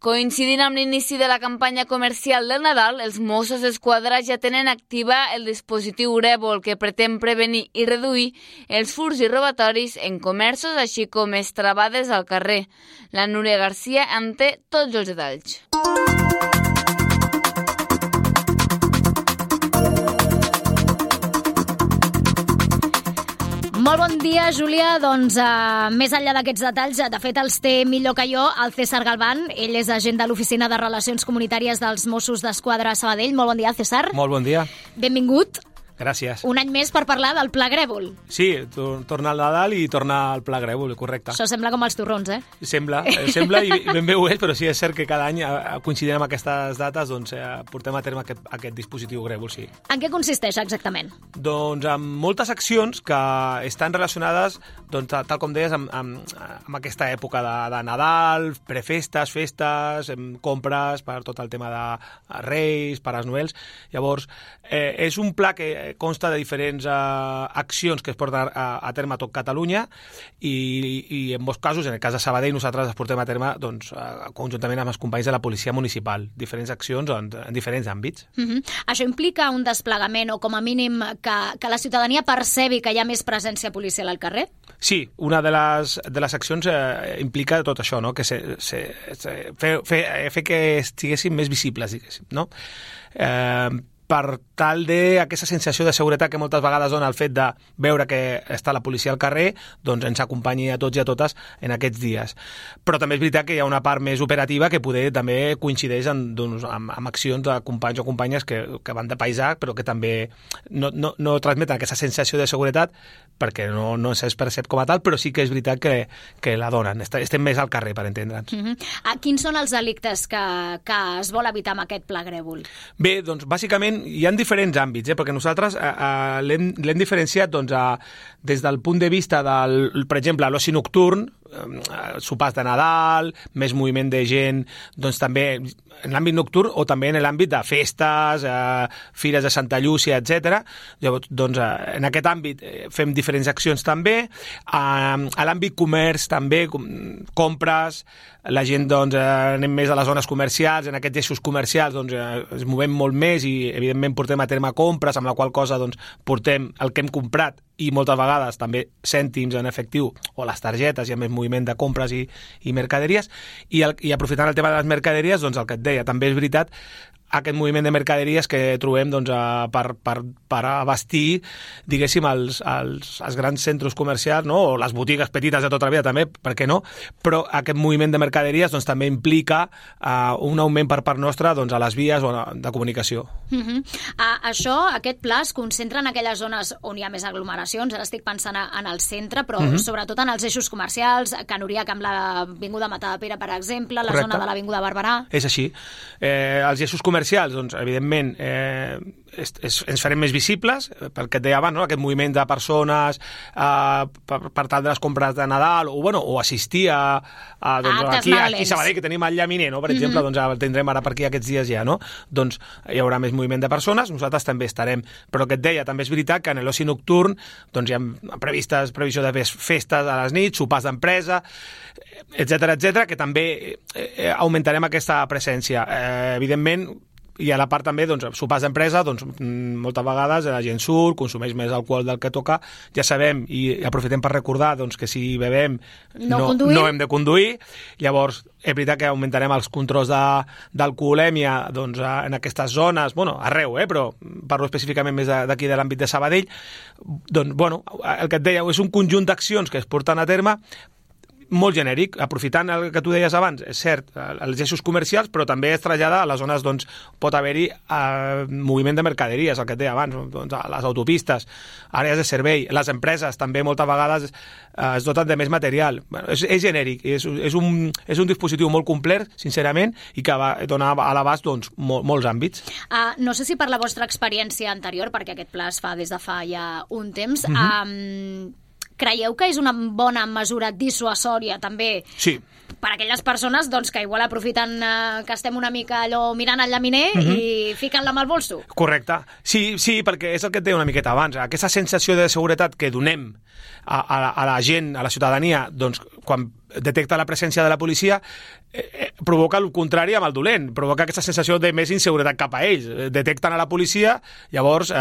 Coincidint amb l'inici de la campanya comercial del Nadal, els Mossos d'Esquadra ja tenen activa el dispositiu Grèvol, que pretén prevenir i reduir els furts i robatoris en comerços, així com estravades al carrer. La Núria Garcia en té tots els detalls. Molt bon dia, Júlia. Doncs més enllà d'aquests detalls, de fet els té millor que jo el César Galván. Ell és agent de l'Oficina de Relacions Comunitàries dels Mossos d'Esquadra a Sabadell. Molt bon dia, César. Molt bon dia. Benvingut. Gràcies. Un any més per parlar del Pla Grèvol. Sí, torna al Nadal i torna al Pla Grèvol, correcte. Això sembla com els torrons, eh? Sembla i ben bé ho és, però sí, és cert que cada any, coincidint amb aquestes dates, doncs, portem a terme aquest dispositiu Grèvol, sí. En què consisteix exactament? Doncs amb moltes accions que estan relacionades, doncs, tal com deies, amb aquesta època de Nadal, prefestes, festes, compres per tot el tema de Reis, Pares Noels. Llavors, és un pla que consta de diferents accions que es porten a terme a tot Catalunya i en molts casos, en el cas de Sabadell, nosaltres es portem a terme doncs, conjuntament amb els companys de la Policia Municipal. Diferents accions en diferents àmbits. Això implica un desplegament o com a mínim que la ciutadania percebi que hi ha més presència policial al carrer? Sí, una de les accions implica tot això, no? Que fer que estiguessin més visibles, diguéssim, no? Per tal d'aquesta sensació de seguretat que moltes vegades dona el fet de veure que està la policia al carrer, doncs ens acompanyi a tots i a totes en aquests dies. Però també és veritat que hi ha una part més operativa que poder també coincideix amb accions de companys o companyes que van de paisà, però que també no transmeten aquesta sensació de seguretat perquè no se'ls percep com a tal, però sí que és veritat que la donen. Estem més al carrer, per entendre'ns. Quins són els delictes que es vol evitar amb aquest Pla Grèvol? Bé, doncs bàsicament hi ha diferents àmbits, perquè nosaltres l'hem diferenciat doncs, des del punt de vista del, per exemple, l'oci nocturn, sopars de Nadal, més moviment de gent, doncs també en l'àmbit nocturn o també en l'àmbit de festes, fires de Santa Llúcia, etc. Llavors, doncs, en aquest àmbit fem diferents accions també. A l'àmbit comerç també, compres, la gent doncs, anem més a les zones comercials, en aquests eixos comercials doncs, ens movem molt més i evidentment portem a terme compres, amb la qual cosa doncs, portem el que hem comprat i moltes vegades també cèntims en efectiu o les targetes, hi ha més moviment de compres i mercaderies, i aprofitant el tema de les mercaderies, doncs el que et deia, també és veritat aquest moviment de mercaderies que trobem doncs, per abastir, diguéssim, els grans centres comercials, no? O les botigues petites de tota la vida també, per què no? Però aquest moviment de mercaderies doncs, també implica un augment per part nostra doncs, a les vies de comunicació. Aquest pla es concentra en aquelles zones on hi ha més aglomeracions, ara estic pensant en el centre, però sobretot en els eixos comercials, Can Uriac amb l'Avinguda Matadepera, per exemple, la zona de l'Avinguda Barberà. És així. Els eixos comercials, doncs, evidentment, ens farem més visibles, perquè et deia abans, no? Aquest moviment de persones per tal de les compres de Nadal, o assistir aquí a Sabadell, que tenim el llaminer, no? Per exemple, doncs el tindrem ara per aquí aquests dies ja, no? Doncs hi haurà més moviment de persones, nosaltres també estarem. Però que et deia, també és veritat que en l'oci nocturn doncs hi ha previsió de festes a les nits, sopars d'empresa, etc, que també augmentarem aquesta presència. Evidentment, i a la part també, doncs, sopars d'empresa, doncs, moltes vegades la gent surt, consumeix més alcohol del que toca, ja sabem, i aprofitem per recordar doncs, que si bevem no hem de conduir, llavors és veritat que augmentarem els controls d'alcoholèmia doncs, en aquestes zones, arreu, però parlo específicament més d'aquí de l'àmbit de Sabadell. Doncs, el que et deia, és un conjunt d'accions que es porten a terme molt genèric, aprofitant el que tu deies abans, és cert, els eixos comercials, però també es trasllada a les zones, doncs, pot haver-hi moviment de mercaderies, el que et deia abans, doncs, a les autopistes, àrees de servei, les empreses també moltes vegades es doten de més material. És genèric, és un dispositiu molt complet, sincerament, i que dona a l'abast doncs, molts àmbits. No sé si per la vostra experiència anterior, perquè aquest pla es fa des de fa ja un temps, creieu que és una bona mesura dissuasòria també per a aquelles persones doncs, que igual aprofiten que estem una mica allò mirant el llaminer i fiquen-la amb el bolso? Correcte. Sí, perquè és el que et deia una miqueta abans. Aquesta sensació de seguretat que donem a la gent, a la ciutadania, doncs, quan detecta la presència de la policia, provoca el contrari amb el dolent, provoca aquesta sensació de més inseguretat cap a ells. Detecten a la policia, llavors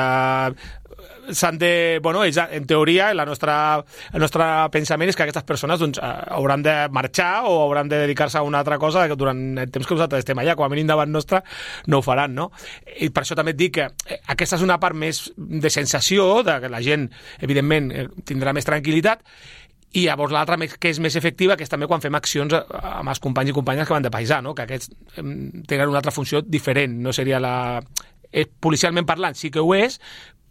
s'han de... Bueno, ells, en teoria, el nostre pensament és que aquestes persones doncs, hauran de marxar o hauran de dedicar-se a una altra cosa que durant el temps que nosaltres estem allà, com a mínim davant nostre, no ho faran, no? I per això també et dic que aquesta és una part més de sensació, de que la gent, evidentment, tindrà més tranquil·litat, i llavors l'altra que és més efectiva, que és també quan fem accions amb els companys i companyes que van de paisà, no? Que aquests tenen una altra funció diferent, no seria la... Policialment parlant sí que ho és,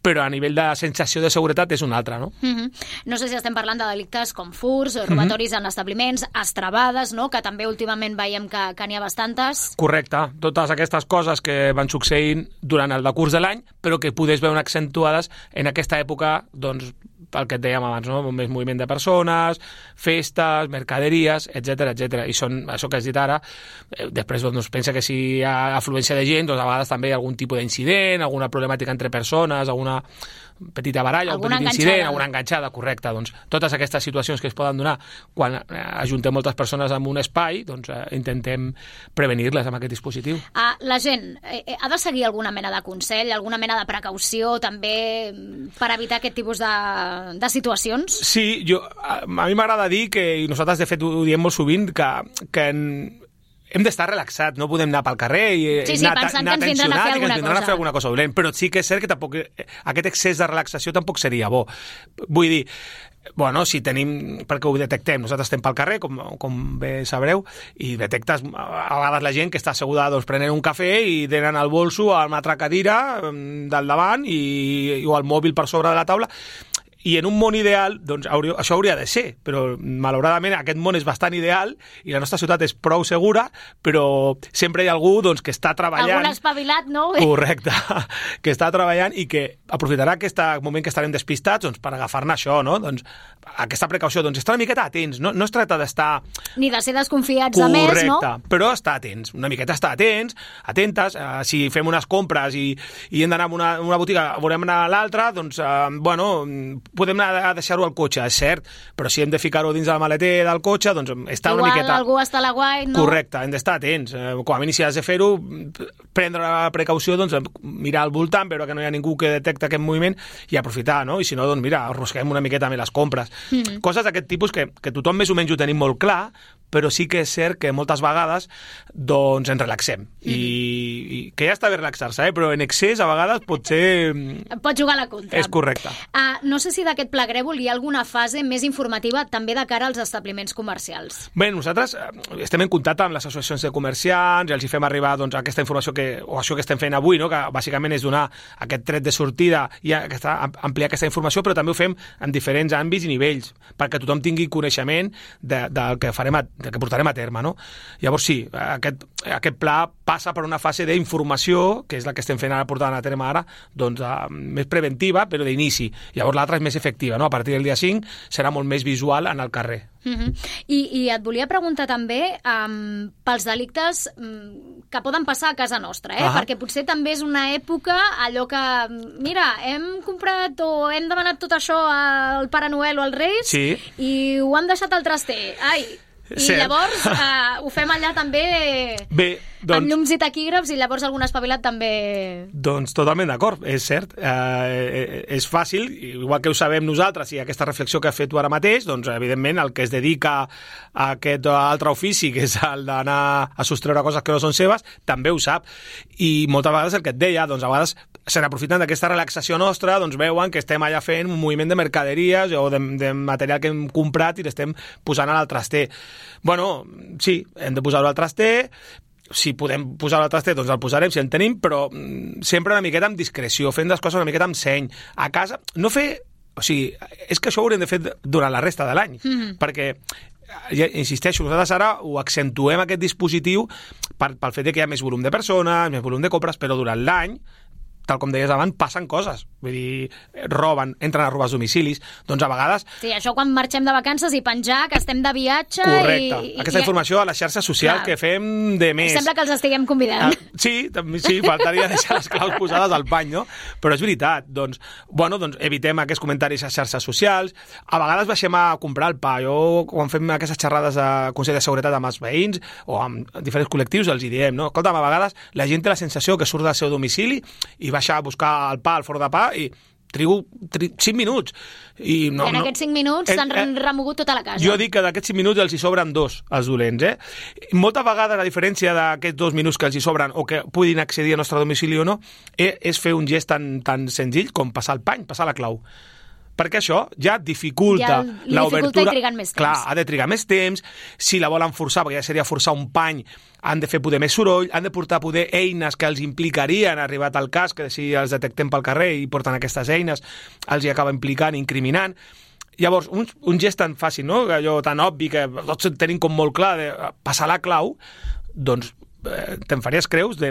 però a nivell de sensació de seguretat és una altra, no? No sé si estem parlant de delictes com furts, robatoris en establiments, estrabades, no? Que també últimament veiem que n'hi ha bastantes. Correcte, totes aquestes coses que van succeint durant el decurs de l'any, però que podés veure accentuades en aquesta època, doncs, pel que et dèiem abans, no? Més moviment de persones, festes, mercaderies, etc. I són, això que has dit ara, després doncs, pensa que si hi ha afluència de gent, doncs a vegades també hi ha algun tipus d'incident, alguna problemàtica entre persones, alguna petita baralla, algun petit incident, alguna enganxada, correcte. Doncs totes aquestes situacions que es poden donar quan ajuntem moltes persones en un espai, doncs intentem prevenir-les amb aquest dispositiu. La gent ha de seguir alguna mena de consell, alguna mena de precaució també per evitar aquest tipus de situacions? Sí, a mi m'agrada dir que, i nosaltres de fet ho diem molt sovint, que hem d'estar relaxats, no podem anar pel carrer i anar pensant que ens vindran a fer alguna cosa dolent, però sí que és cert que tampoc aquest excés de relaxació tampoc seria bo. Vull dir, bueno, si tenim, perquè ho detectem, nosaltres estem pel carrer, com bé sabreu, i detectes a vegades la gent que està asseguda doncs, prenent un cafè i tenen el bolso a una altra cadira del davant o el mòbil per sobre de la taula. I en un món ideal, doncs això hauria de ser, però malauradament aquest món és bastant ideal i la nostra ciutat és prou segura, però sempre hi ha algú doncs, que està treballant... Algun espavilat, no? Correcte, que està treballant i que aprofitarà aquest moment que estarem despistats doncs, per agafar-ne això, no? Doncs, aquesta precaució, doncs estar una miqueta atents, no es tracta d'estar... Ni de ser desconfiats de més, no? Correcte, però estar atents, una miqueta estar atents, atentes, si fem unes compres i hem d'anar a una botiga, volem anar a l'altra, doncs, podem anar a deixar-ho al cotxe, és cert, però si hem de ficar-ho dins del maleter del cotxe, doncs està una miqueta... Igual algú està a la guai, no? Correcte, hem d'estar atents. Com a mínim, si has de fer-ho, prendre la precaució, doncs mirar al voltant, veure que no hi ha ningú que detecta aquest moviment i aprofitar, no? I si no, doncs mira, arrosquem una miqueta més les compres. Coses d'aquest tipus que tothom més o menys ho tenim molt clar, però sí que és cert que moltes vegades doncs ens relaxem. I que ja està bé relaxar-se, però en excés a vegades pot ser... Pot jugar a la contra. És correcte. No sé si d'aquest pla Grèvol hi ha alguna fase més informativa també de cara als establiments comercials. Bé, nosaltres estem en contacte amb les associacions de comerciants i els hi fem arribar doncs, aquesta informació o això que estem fent avui, no? Que bàsicament és donar aquest tret de sortida i ampliar aquesta informació, però també ho fem en diferents àmbits i nivells, perquè tothom tingui coneixement del que farem que portarem a terme, no? Llavors sí, aquest pla passa per una fase d'informació, que és la que estem fent ara, portant a terme ara, doncs més preventiva, però d'inici. Llavors l'altra és més efectiva, no? A partir del dia 5 serà molt més visual en el carrer. I et volia preguntar també pels delictes que poden passar a casa nostra, perquè potser també és una època allò que, mira, hem comprat o hem demanat tot això al Pare Noel o als Reis i ho han deixat al traster. Llavors ho fem allà també amb llums i taquígrafs i llavors algun espavilat també... Doncs totalment d'acord, és cert. És fàcil, igual que ho sabem nosaltres i aquesta reflexió que has fet tu ara mateix, doncs evidentment el que es dedica a aquest altre ofici, que és el d'anar a sostreure coses que no són seves, també ho sap. I moltes vegades el que et deia, doncs a vegades se n'aprofiten d'aquesta relaxació nostra, doncs veuen que estem allà fent un moviment de mercaderies o de material que hem comprat i l'estem posant al traster. Bueno, sí, hem de posar-ho al traster, si podem posar-ho al traster, doncs el posarem, si en tenim, però sempre una miqueta amb discreció, fent les coses una miqueta amb seny. A casa, no fer... O sigui, és que això ho haurem de fer durant la resta de l'any, perquè... Ja insisteixo, nosaltres ara ho accentuem aquest dispositiu pel fet que hi ha més volum de persones, més volum de compres, però durant l'any tal com deies abans, passen coses. Vull dir, roben, entren a robar els domicilis. Doncs a vegades... Sí, això quan marxem de vacances i penjar que estem de viatge... Correcte. Aquesta informació a la xarxa social que fem de més. Sembla que els estiguem convidant. Sí, faltaria deixar les claus posades al pany, no? Però és veritat. Doncs evitem aquests comentaris a xarxes socials. A vegades baixem a comprar el pa. Jo, quan fem aquestes xerrades a Consell de Seguretat amb els veïns o amb diferents col·lectius, els hi diem, no? Escolta'm, a vegades la gent té la sensació que surt del seu domicili i baixa a buscar el pa al forn de pa i trigo 5 minuts. I en aquests 5 minuts s'han remogut tota la casa. Jo dic que d'aquests 5 minuts els hi sobren 2, els dolents. Moltes vegades, a diferència d'aquests 2 minuts que els hi sobren o que puguin accedir al nostre domicili o no, és fer un gest tan senzill com passar el pany, passar la clau. Perquè això ja dificulta l'obertura. I trigant més temps. Clar, ha de trigar més temps. Si la volen forçar, perquè ja seria forçar un pany, han de fer poder més soroll, han de portar poder eines que els implicarien, arribat al cas, que si els detectem pel carrer i porten aquestes eines, els hi acaba implicant, incriminant. Llavors, un gest tan fàcil, no? Allò tan obvi que tots tenim com molt clar de passar la clau, doncs te'n faries creus de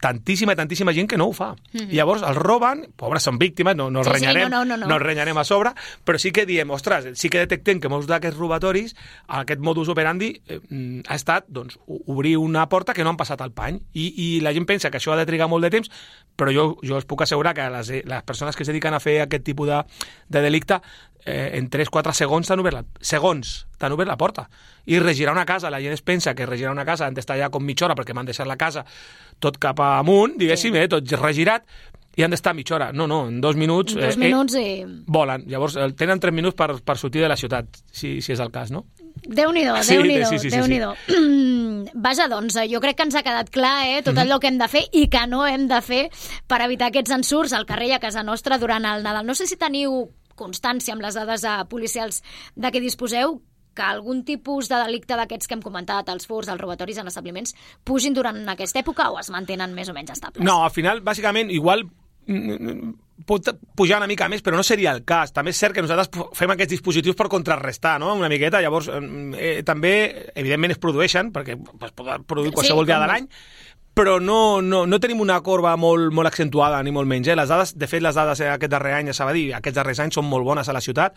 tantíssima gent que no ho fa. I llavors els roben, pobres són víctimes, no els renyarem, no els renyarem a sobre, però sí que diem, ostres, sí que detectem que molts d'aquests robatoris, aquest modus operandi ha estat, doncs, obrir una porta que no han passat al pany, i la gent pensa que això ha de trigar molt de temps, però jo us puc assegurar que les persones que es dediquen a fer aquest tipus de delicte en 3-4 segons t'han obert la porta. I regirar una casa, la gent es pensa que regirar una casa han d'estar allà com mitja hora perquè m'han deixat la casa tot cap amunt, diguéssim, tot regirat, i han d'estar mitja hora. No, en 2 minuts... En 2 minuts volen. Llavors, tenen 3 minuts per sortir de la ciutat, si és el cas, no? Déu-n'hi-do, Déu-n'hi-do. Vaja, doncs, jo crec que ens ha quedat clar tot allò que hem de fer i que no hem de fer per evitar aquests ensurts al carrer i a casa nostra durant el Nadal. No sé si teniu constància amb les dades policials de què disposeu, que algun tipus de delicte d'aquests que hem comentat, els furts, els robatoris en establiments, pugin durant aquesta època o es mantenen més o menys estables? No, al final, bàsicament, igual pot pujar una mica més, però no seria el cas. També és cert que nosaltres fem aquests dispositius per contrarrestar, no?, una miqueta. Llavors, també, evidentment, es produeixen, perquè es pot produir qualsevol dia de l'any, però no tenim una corba molt accentuada, ni molt menys. Les dades, de fet, les dades aquest darrer any a Sabadell, aquests darrers anys, són molt bones a la ciutat,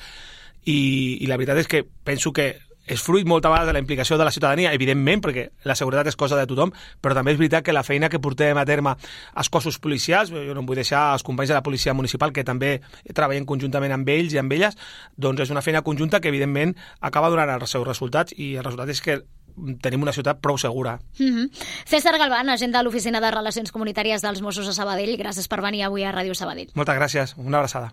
i la veritat és que penso que és fruit moltes vegades de la implicació de la ciutadania, evidentment, perquè la seguretat és cosa de tothom, però també és veritat que la feina que portem a terme als cossos policials, jo no em vull deixar els companys de la policia municipal, que també treballen conjuntament amb ells i amb elles, doncs és una feina conjunta que, evidentment, acaba donant els seus resultats, i el resultat és que tenim una ciutat prou segura. César Galván, agent de l'Oficina de Relacions Comunitàries dels Mossos a Sabadell, gràcies per venir avui a Ràdio Sabadell. Moltes gràcies, una abraçada.